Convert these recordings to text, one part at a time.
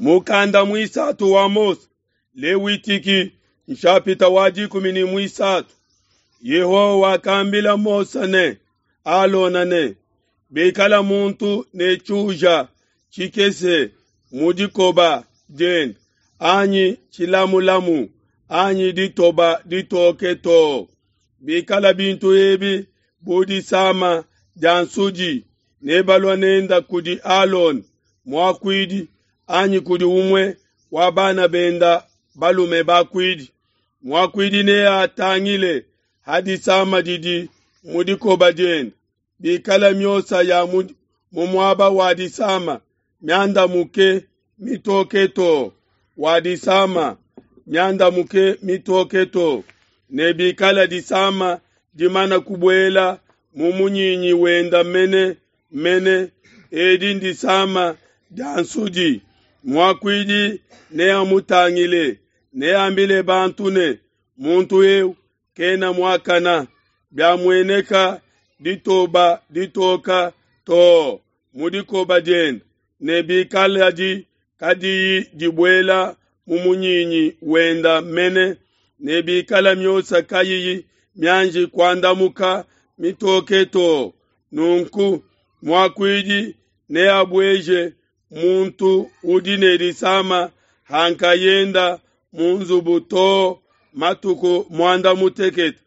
Mukanda muisatu wa Mose, Lewitiki, nshapita wa 13. Yehowa wakambila Mose ne Alona ne, Bikala muntu ne tshiuja tshikese mu dikoba diende, anyi tshilamulamu, anyi ditoba ditoke too, bikala bintu ebi bu disama dia nsudi, nebalua nenda kudi Alona muakuidi anyi kudi umue wa bana benda balume bakuidi. Muakuidi neatangile ha disama didi mu dikoba diende, bikala miosa ya mu muaba wa disama miandamuke mitoke too wa disama miandamuke mitoke too, ne bikala disama dimana kubuela mu munyinyi wenda mene mene, edi ndisama dia nsudi. Muakuidi neamutangile, neambile bantu ne, muntu eu kena muakana. Biamueneka ditoba ditoka too mu dikoba diende, ne bikaladi kadiyi dibuela mu munyinyi wenda mene, ne bikala miosa kayiyi mianji kuandamuka mitoke too, nunku muakuidi neabueje muntu udi ne disama ha nkayenda mu nzubu too matuku muanda mutekete.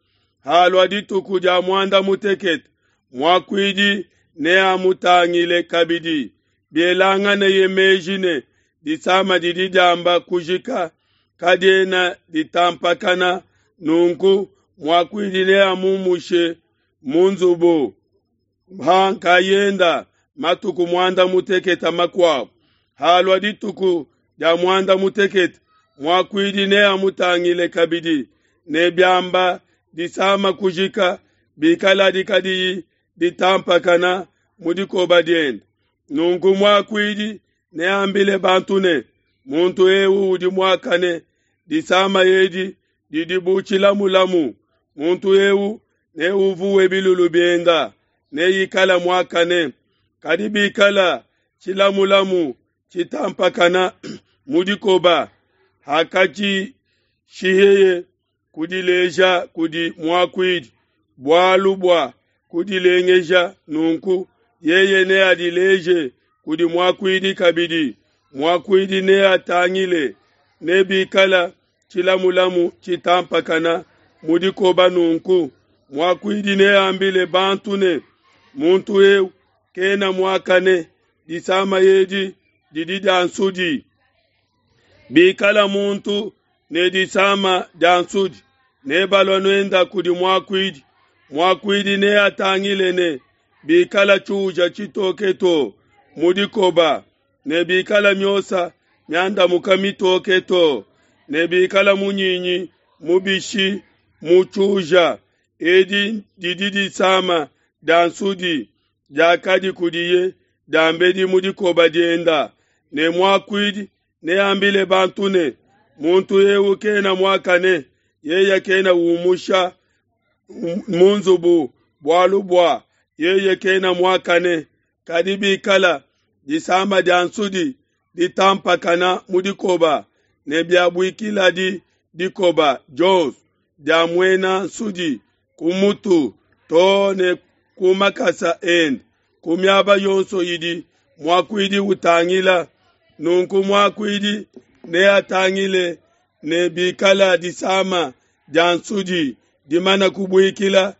Halua dituku dia muanda mutekete, muakuidi neamutangile kabidi. Bielanganeye meji ne disama didi diamba kujika, kadiena ditampakana, nunku muakuidi neamumushe mu nzubu ha nkayenda matuku muanda mutekete makuabo. Halua dituku dia muanda mutekete, muakuidi neamutangile kabidi, ne biamba disama kujika, bikaladi kadiyi ditampakana mu dikoba diende, nunku muakuidi neambile bantu ne, muntu eu udi muakane, disama edi didi bu tshilamulamu, muntu eu neuvuwe bilulu bienda, neikala muakane. Kadi bikala tshilamulamu tshitampakana mu dikoba, hakatshishiheye kudileja kudi muakuidi bualu bua kudilengeja, nunku yeye neadileje kudi muakuidi kabidi. Muakuidi neatangile, ne bikala tshilamulamu tshitampakana mu dikoba, nunku muakuidi neambile bantu ne, muntu eu kena muakane, disama edi didi dia nsudi. Bikala muntu ne disama dia nsudi, nebalua nenda kudi muakuidi. Muakuidi neatangile ne bikala tshiuja tshitoke too mu dikoba, ne bikala miosa miandamuka mitoke too, ne bikala munyinyi mubishi mu tshiuja, edi didi disama dia nsudi diakadi kudiye diambedi mu dikoba dienda. Ne muakuidi neambile bantu ne, muntu eu kena muakane, yeye kena umusha mu nzubu bualu bua yeye kena muakane. Kadi bikala disama dia nsudi ditampakana mu dikoba, ne biabuikiladi dikoba dionso dia muena nsudi ku mutu too ne ku makasa ende, ku miaba yonso idi muakuidi utangila, nunku muakuidi neatangile ne bikala disama dia nsudi dimana kubuikila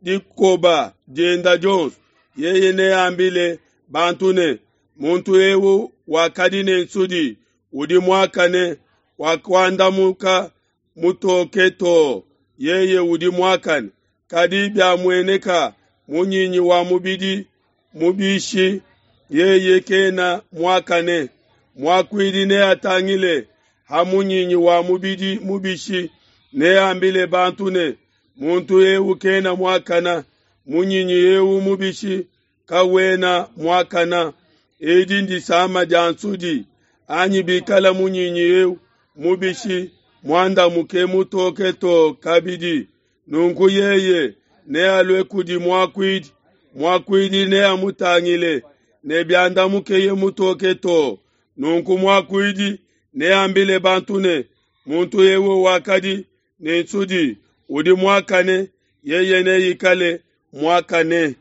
dikoba dienda dionso, yeye neambile bantu ne, muntu eu wakadi ne nsudi udi muakane, wakuandamuka mutoke too, yeye udi muakane. Kadi biamueneka munyinyi wa mubidi mubishi, yeye kena muakane. Muakuidi neatangile ha munyinyi wa mubidi mubishi, neambile bantu ne, muntu eu kena muakana, munyinyi eu mubishi kawena muakana, edi ndisama dia nsudi. Anyi bikala munyinyi eu mubishi muandamuke mutoke too kabidi, nunku yeye nealue kudi muakuidi, muakuidi neamutangile, ne biandamukeye mutoke too, Nunku muakuidi neambile bantu ne, Muntu eu wakadi ne nsudi udi muakane, yeye neikale muakane.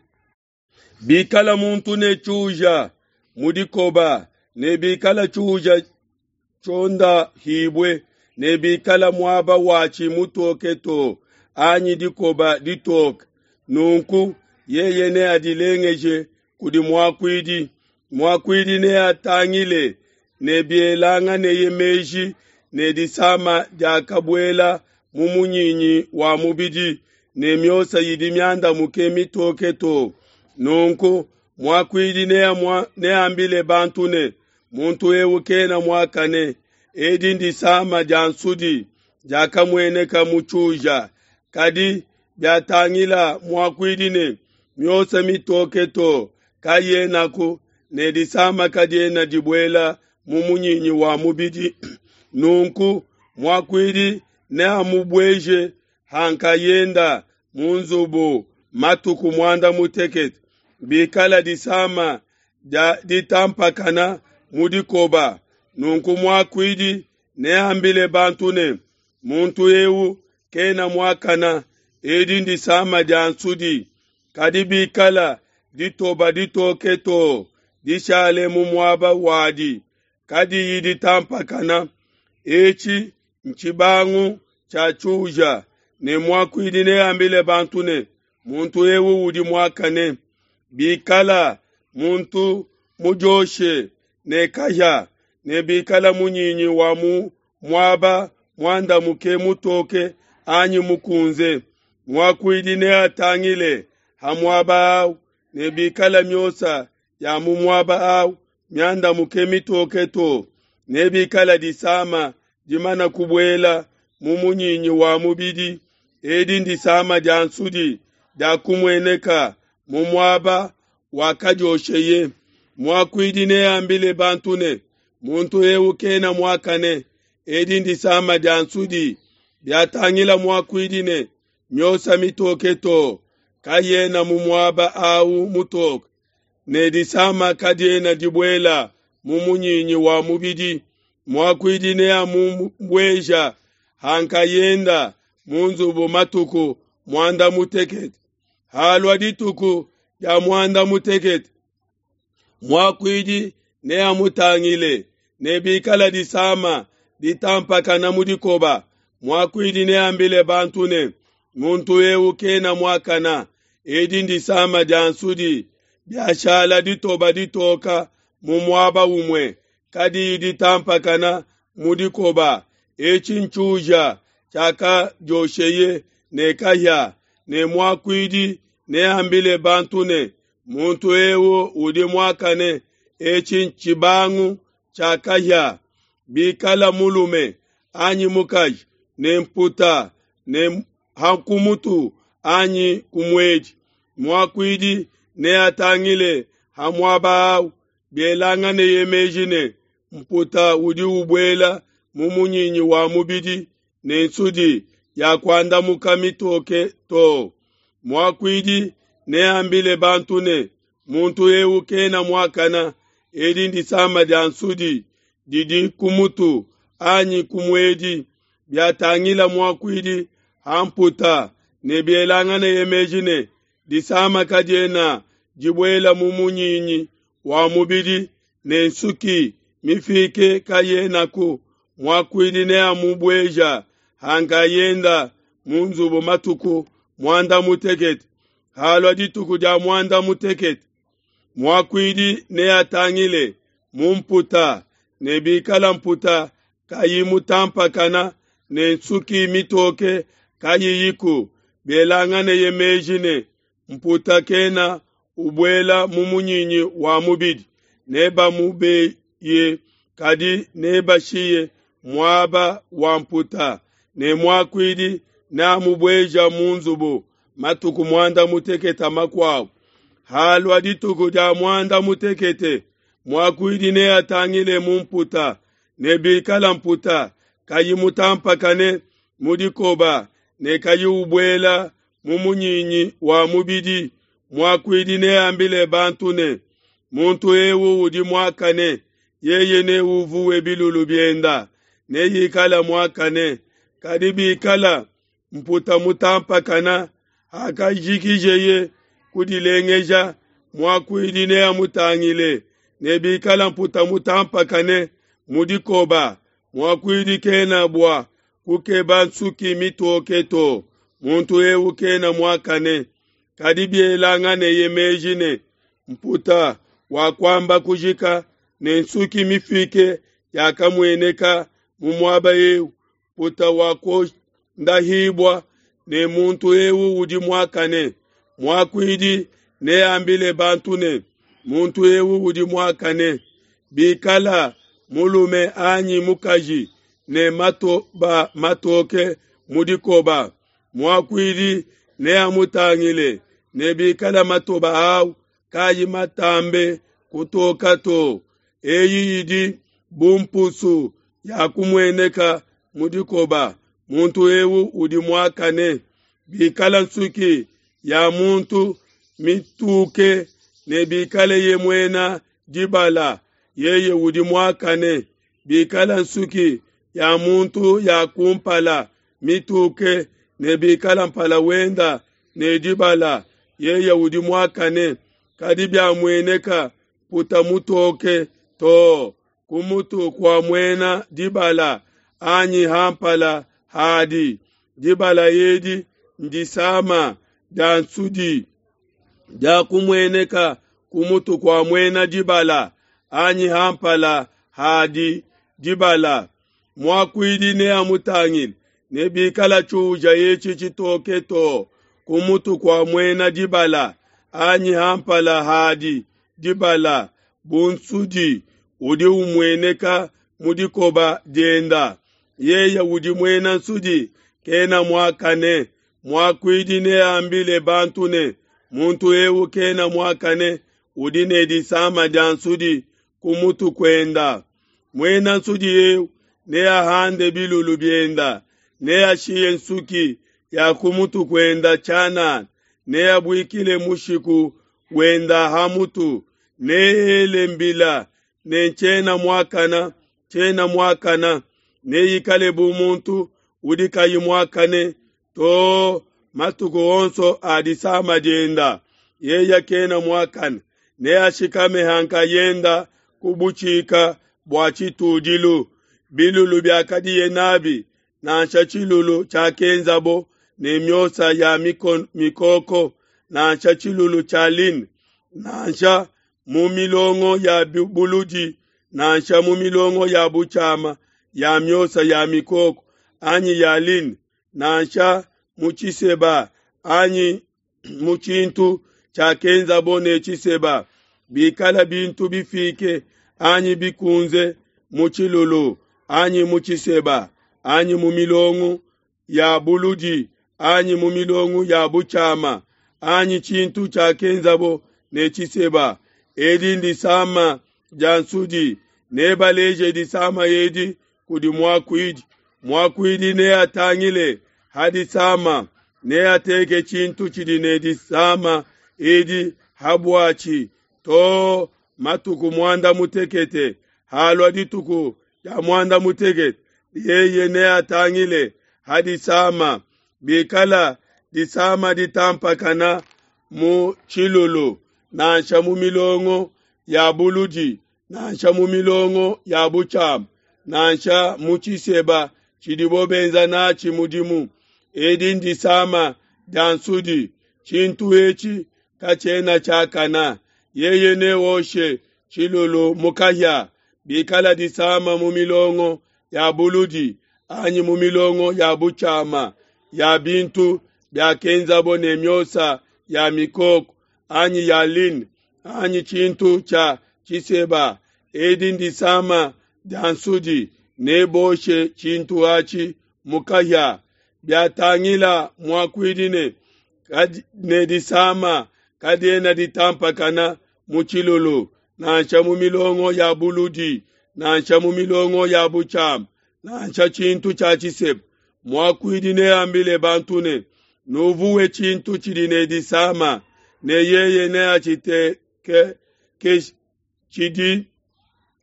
Bikala muntu ne tshiuja mu dikoba, ne bikala tshiuja tshiondahibue, ne bikala muaba watshi mutoke too, anyi dikoba ditoke, nunku yeye neadilengeje kudi muakuidi. Muakuidi neatangile ne bielanganeye meji ne disama diakabuela mu munyinyi wa mubidi, ne miosa idi miandamuke mitoke too. Nunku muakuidi neambile bantu ne, Muntu eu kena muakane, edi ndisama dia nsudi diakamueneka mu tshiuja. Kadi biatangila muakuidi ne miosa mitoke too kayenaku, ne disama kadiena dibuela mu munyinyi wa mubidi, nunku muakuidi neamubueje ha nkayenda mu nzubu matuku muanda mutekete. Bikala disama dia ditampakana mu dikoba, nunku muakuidi neambile bantu ne, Muntu eu kena muakana, edi ndisama dia nsudi. Kadi bikala ditoba ditoke too dishale mu muaba wadi, kadiyi ditampakana, etshi ntshibangu tshia tshiuja, ne muakuidi neambile bantu ne, Muntu eu udi muakane. Bikala muntu mudioshe ne kahia, ne bikala munyinyi wa mu muaba muandamuke mutoke anyi mukunze, muakuidi neatangile ha muaba au, ne bikala miosa ya mu muaba au miandamuke mitoke too, ne bikala disama dimana kubuela mu munyinyi wa mubidi, edi ndisama dia nsudi diakumueneka mu muaba wakadiosheye. Muakuidi neambile bantu ne, Muntu eu kena muakane, edi ndisama dia nsudi. Biatangila muakuidi ne miosa mitoke too kayena mu muaba au mutoke, ne disama kadiena dibuela mu munyinyi wa mubidi, muakuidi neamubueja ha nkayenda mu nzubu matuku muanda mutekete. Halua dituku dia muanda mutekete, muakuidi neamutangile, ne bikala disama ditampakana mu dikoba, muakuidi neambile bantu ne, Muntu eu kena muakana, edi ndisama dia nsudi. Biashala ditoba ditoka mu muaba umue, kadiyi ditampakana mu dikoba, etshi ntshiuja tshiakadiosheye ne kahia, ne muakuidi neambile bantu ne, Muntu eu udi muakane, etshi ntshibangu tshia kahia. Bikala mulume anyi mukaji ne mputa ne ha ku mutu anyi ku muedi, muakuidi neatangile ha muaba au, bielanganeye meji ne mputa udi ubuela mu munyinyi wa mubidi ne nsudi yakuandamuka mitoke too, muakuidi neambile bantu ne, Muntu eu kena muakana, edi ndisama dia nsudi didi ku mutu anyi ku muedi. Biatangila muakuidi ha mputa ne bielanganeye meji ne disama kadiena dibuela mu munyinyi wa mubidi ne nsuki mifike kayenaku, muakuidi neamubueja ha nkayenda mu nzubu matuku muanda mutekete. Halua dituku dia muanda mutekete, muakuidi neatangile mu mputa, ne bikala mputa kayi mutampakana ne nsuki mitoke kayiyiku, bielanganeye meji ne mputa kena ubuela mu munyinyi wa mubidi, nebamubeye, kadi nebashiye muaba wa mputa, ne muakuidi neamubueja mu nzubu matuku muanda mutekete makuabo. Halua dituku dia muanda mutekete, muakuidi neatangile mu mputa, ne bikala mputa kayi mutampakane mu dikoba ne kayi ubuela mu munyinyi wa mubidi, muakuidi neambile bantu ne, Muntu eu udi muakane, Yeye neuvuwe bilulu bienda, neikala muakane. Kadi bikala mputa mutampakana, hakajikijeye kudilengeja, muakuidi neamutangile, ne bikala mputa mutampakane mu dikoba, muakuidi kena bua kukeba nsuki mitoke to, muntu eu kena muakane. Kadi bielanganeye meji ne mputa wakuamba kujika ne nsuki mifike yakamueneka mu muaba eu, mputa wakondahibua ne muntu eu udi muakane. Muakuidi neambile bantu ne, muntu eu udi muakane. Bikala mulume anyi mukaji ne matoba matoke mu dikoba, muakuidi neamutangile, ne bikala matoba au kayi matambe kutoka to, eyi idi bu mpusu ya kumueneka mu dikoba, muntu eu udi muakane. Bikala nsuki ya muntu mituke ne bikaleye muena dibala, yeye udi muakane. Bikala nsuki ya muntu ya kumpala mituke ne bikala mpala wenda ne dibala, yeye udi muakane. Kadi biamueneka mputa mutoke to ku mutu kua muena dibala anyi ha mpala hadi, dibala edi ndisama dia nsudi diakumueneka ku mutu kua muena dibala anyi ha mpala hadi dibala. Muakuidi neamutangile, ne bikala tshiuja etshi tshitoke to ku mutu kua muena dibala anyi ha mpala hadi dibala, bu nsudi udi umueneka mu dikoba dienda, yeye udi muena nsudi kena muakane. Muakuidi neambile bantu ne, muntu eu kena muakane, udi ne disama dia nsudi ku mutu kuenda. Muena nsudi eu neahande bilulu bienda, neashiye nsuki ya ku mutu kuenda tshianana, neabuikile mushiku wenda ha mutu, neele mbila ne tshiena muakana, tshiena muakana, neikale bu muntu udi kayi muakane to matuku onso a disama dienda. Yeye kena muakane, neashikame ha nkayenda ku butshika bua tshitudilu. Bilulu biakadiye nabi, nansha tshilulu tshiakenzabo ne miosa ya mikoko, nansha tshilulu tshia lin, nansha mu milongo ya buludi, nansha mu milongo ya butshiama ya miosa ya mikoko anyi ya lin, nansha mu tshiseba anyi mu tshintu tshiakenzabo ne tshiseba, bikala bintu bifike anyi bikunze mu tshilulu anyi mu tshiseba anyi mu milongo ya buludi anyi mu milongo ya butshiama anyi tshintu tshiakenzabo ne tshiseba, edi ndisama dia nsudi. Nebaleje disama edi kudi muakuidi. Muakuidi neatangile ha disama, neateke tshintu tshidi ne disama edi ha buatshi to matuku muanda mutekete. Halua dituku dia muanda mutekete, yeye neatangile ha disama. Bikala disama ditampakana mu tshilulu, nansha mu milongo ya buludi, nansha mu milongo ya butshiama, nansha mu tshiseba tshidibo benza natshi mudimu, edi ndisama dia nsudi. Tshintu etshi katshiena tshiakana. Yeye neoshe tshilulu mu kahia. Bikala disama mu milongo ya buludi anyi mu milongo ya butshiama ya bintu biakenzabo ne miosa ya mikoko anyi ya lin anyi tshintu tshia tshiseba, edi ndisama dia nsudi. Neboshe tshintu atshi mu kahia. Biatangila muakuidi ne disama kadiena ditampakana mu tshilulu, nansha mu milongo ya buludi, nansha mu milongo ya butshiama, nansha tshintu tshia tshiseba, muakuidi neambile bantu ne, nuvuwe tshintu tshidi ne disama, ne yeye neatshiteke tshidi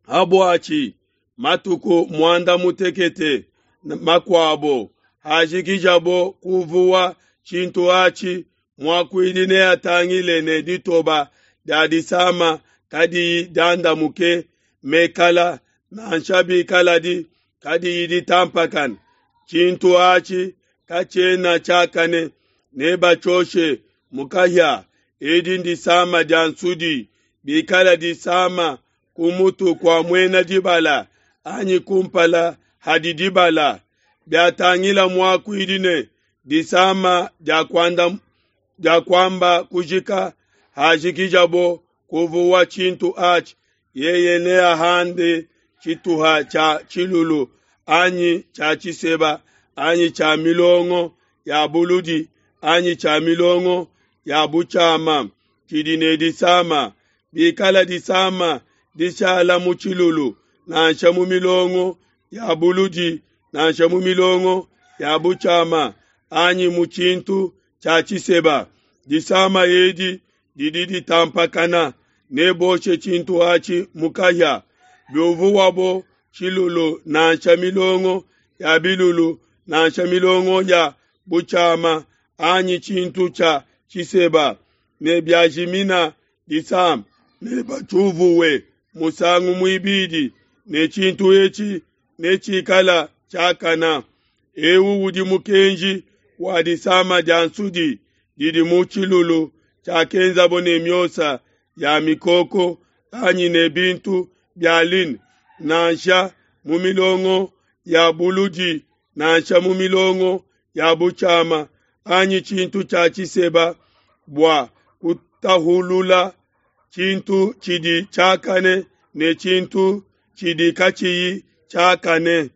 Habuatshi matuku muanda mutekete makuabo, hajikijabo kuvuwa tshintu atshi, muakuidi neatangile ne ditoba dia disama kadiyi diandamuke mekala, nansha bikaladi kadiyi ditampakana, tshintu atshi katshiena tshiakane, nebatshioshe mu kahia. Edi ndisama dia nsudi. Bikala disama ku mutu kua muena dibala anyi kumpala hadi dibala, biatangila muakuidi ne disama dia kuamba kujika, hajikijabo kuvuwa tshintu atshi, yeye neahande tshituha tshia tshilulu anyi tshia tshiseba anyi tshia milongo ya buludi anyi tshia milongo ya butshiama tshidi ne disama. Bikala disama dishala mu tshilulu nansha mu milongo ya buludi nansha mu milongo ya butshiama anyi mu tshintu tshia tshiseba, disama edi didi ditampakana, neboshe tshintu atshi mu kahia. Biuvuwabo tshilulu nansha milongo ya bilulu nansha milongo ya butshiama anyi tshintu tshia tshiseba, ne biajimina disama, nebatshiuvuwe musangu muibidi, ne tshintu etshi netshikala tshiakana. Eu udi mukenji wa disama dia nsudi didi mu tshilulu tshiakenzabo ne miosa ya mikoko anyi ne bintu bia lin, nansha mu milongo ya buludi nansha mu milongo ya butshiama anyi tshintu tshia tshiseba, bua kutahulula tshintu tshidi tshiakane ne tshintu tshidi katshiyi tshiakane.